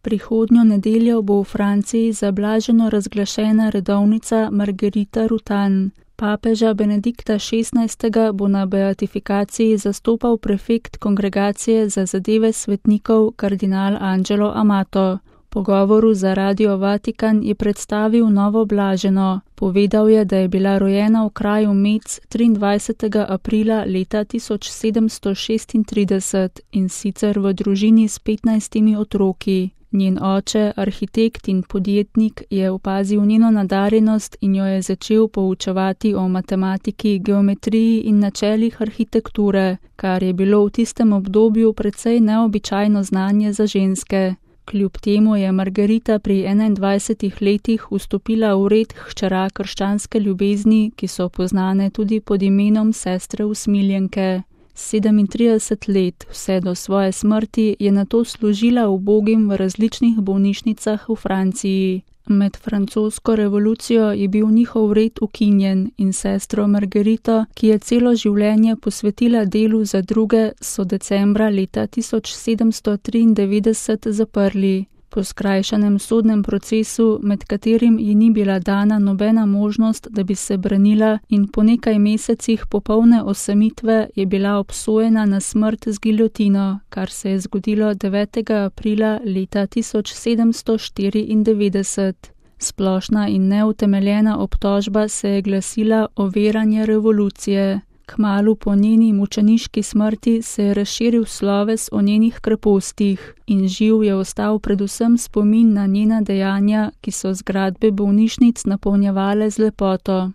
Prihodnjo nedeljo bo v Franciji zablaženo razglašena redovnica Marguerite Rutan. Papeža Benedikta XVI. Bo na beatifikaciji zastopal prefekt Kongregacije za zadeve svetnikov kardinal Angelo Amato. V pogovoru za Radio Vatikan je predstavil novo blaženo. Povedal je, da je bila rojena v kraju Metz 23. aprila leta 1736 in sicer v družini s 15 otroki. Njen oče, arhitekt in podjetnik, je opazil njeno nadarjenost in jo je začel poučevati o matematiki, geometriji in načelih arhitekture, kar je bilo v tistem obdobju precej neobičajno znanje za ženske. Kljub temu je Margarita pri 21 letih vstopila v red hčera krščanske ljubezni, ki so poznane tudi pod imenom sestre usmiljenke. 37 let, vse do svoje smrti, je nato služila ubogim v različnih bolnišnicah v Franciji. Med francosko revolucijo je bil njihov red ukinjen in sestro Margarito, ki je celo življenje posvetila delu za druge, so decembra leta 1793 zaprli. Po skrajšanem sodnem procesu, med katerim ji ni bila dana nobena možnost, da bi se branila, in po nekaj mesecih popolne osamitve je bila obsojena na smrt z giljotino, kar se je zgodilo 9. aprila leta 1794. Splošna in neutemeljena obtožba se je glasila overjanje revolucije. Kmalu po njeni mučeniški smrti se je razširil sloves o njenih krepostih in živ je ostal predvsem spomin na njena dejanja, ki so zgradbe bolnišnic napolnjevale z lepoto.